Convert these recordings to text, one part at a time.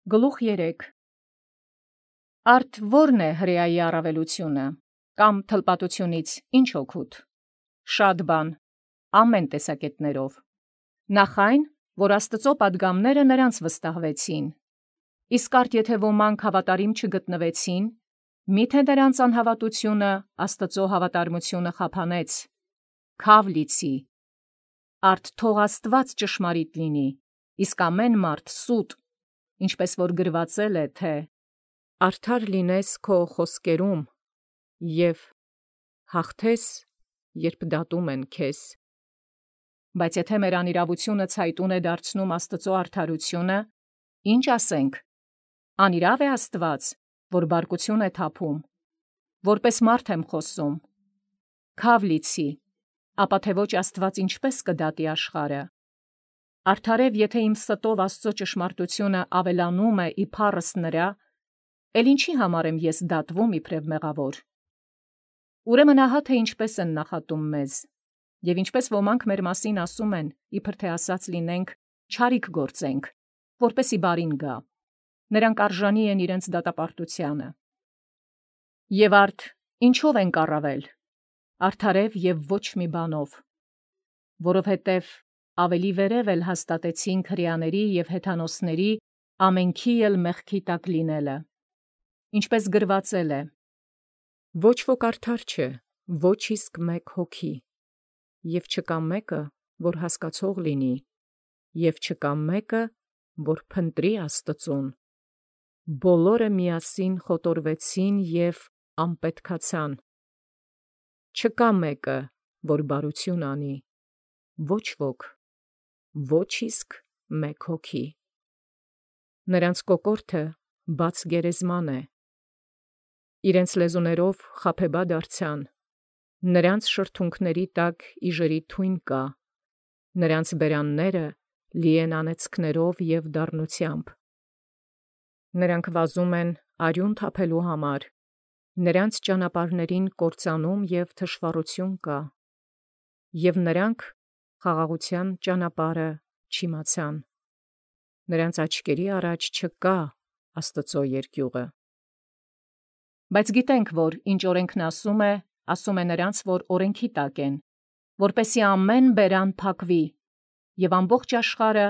Գլուխ 3 Արդ ո՞րն է հրեայի առավելությունը, կամ թլպատությունից ինչ օգուտ։ Շատ բան, ամեն տեսակետներով։ Նախ այն, որ Աստծո պատգամները նրանց վստահվեցին, իսկ արդ եթե ոմանք հավատարիմ չգտնվեցին, միթե նրանց անհավատությունը Աստծո հավատարմությունը խափանեց, քավ լիցի։ Արդ թող Աստված ճշմարիտ լինի, իսկ ամեն մարդ սուտ, ինչպես որ գրվածել է, թե «Արդար լինես քո խոսքերում և հաղթես, երբ դատում են քեզ»։ Բայց եթե մեր անիրավությունը ցայտուն է դարձնում Աստծո արդարությունը, ինչ ասենք, անիրավ է Աստված, որ բարկություն է թափում, որպես մարդ եմ խոսում, քավ լիցի, ապա թե ոչ Աստված ինչպես կդատի աշխարհը։ Արդարև եթե իմ ստով Աստծո ճշմարտությունը ավելանում է իբարս նրա, էլ ինչի համար եմ ես դատվում իբրև մեղավոր։ Ուրեմն ահա թե ինչպես են նախատում մեզ, և ինչպես ոմանք մեր մասին ասում են, իբր թե ասած լինենք, չարիք գործենք, որպեսի բարին գա, նրանք արժանի են իրենց դատապարտությանը։ Եվ արդ ինչով ենք առավել, արդարև և ոչ մի բանով, որովհետև ավելի վերև էլ հաստատեցինք հրեաների և հեթանոսների ամենքի էլ մեղքի տակ լինելը, ինչպես գրվածել է. «Ոչ ոք արդար չէ, ոչ իսկ մեկ հոգի, և չկա մեկը, որ հասկացող լինի, և չկա մեկը, որ փնտրի Աստծուն. բոլորը միասին խոտորվեցին և անպետքացան. չկա մեկը, որ բարություն անի, ոչ ոք, ոչ իսկ մեկ հոգի։ Նրանց կոկորդը բաց գերեզման է, իրենց լեզուներով խաբեբա դարձան, նրանց շրթունքների տակ իժերի թույն կա, նրանց բերանները լի են անեծքներով և դառնությամբ։ Նրանք վազում են արյուն թափելու համար, նրանց ճանապարհներին կործանում և թշվառություն կա, և նրանք խաղաղության ճանապարհը չիմացան, նրանց աչքերի առաջ չկա Աստծո երկյուղը։ Բայց գիտենք, որ ինչ օրենքն ասում է նրանց, որ օրենքի տակ են, որպեսզի ամեն բերան փակվի, և ամբողջ աշխարհը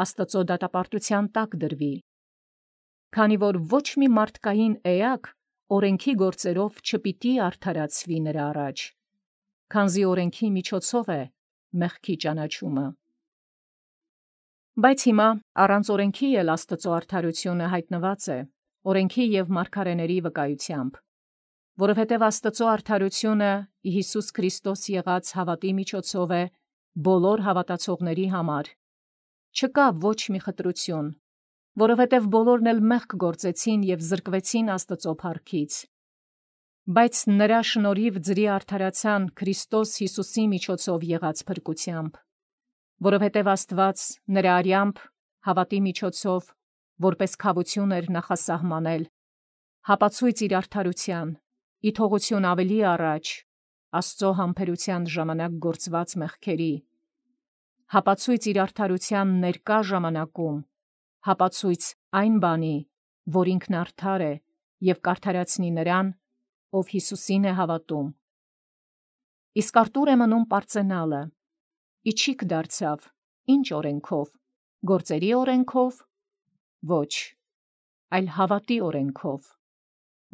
Աստծո դատապարտության տակ դրվի, քանի որ ոչ մի մարդկային էակ օրենքի գործերով չպիտի արդարացվի նրա առաջ, քանզի օրենքի միջոցով է մեղքի ճանաչումը։ Բայց հիմա առանց օրենքի էլ Աստծո արդարությունը հայտնված է, օրենքի և մարգարեների վկայությամբ, որովհետև Աստծո արդարությունը ի Հիսուս Քրիստոս եղած հավատի միջոցով է բոլոր հավատացողների համար, չկա ոչ մի խտրություն, որովհետև բոլորն էլ մեղք գործեցին և զրկվեցին Աստծո փառքից, բայց նրա շնորհիվ ձրի արդարացան Քրիստոս Հիսուսի միջոցով եղած փրկությամբ, որովհետև Աստված նրա արյամբ հավատի միջոցով, որպես քավություն էր նախասահմանել, հապացույց իր արդարության, ի թողություն ավելի առաջ Աստծո համբերության ժամանակ գործված մեղքերի, հապացույց իր արդարության ներկա ժամանակում, հապացույց այն բանի, որ ինքն արդար է և կարդարացնի նրան, ով Հիսուսին է հավատում։ Իսկ արտուր է մնում պարծենալը. իջիք դարձավ, ինչ օրենքով, գործերի օրենքով, ոչ, այլ հավատի օրենքով,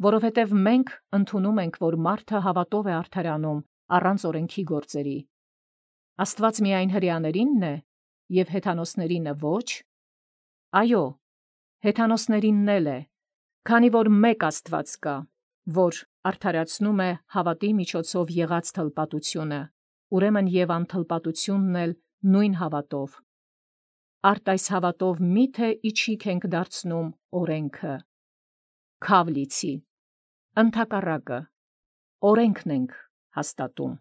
որովհետև մենք ընդունում ենք, որ մարդը հավատով է արդարանում առանց օրենքի գործերի։ Աստված միայն հրեաներինն է և հեթանոսներինը ոչ, այո, հեթանոսներինն էլ է, քանի որ մեկ Աստված կա, որ արդարացնում է հավատի միջոցով եղած թլպատությունը, ուրեմն և անթլպատությունն էլ նույն հավատով։ Արդ այս հավատով միթե իջիք ենք դարձնում օրենքը, քավ լիցի, ընդհակառակը, օրենքն ենք հաստատում։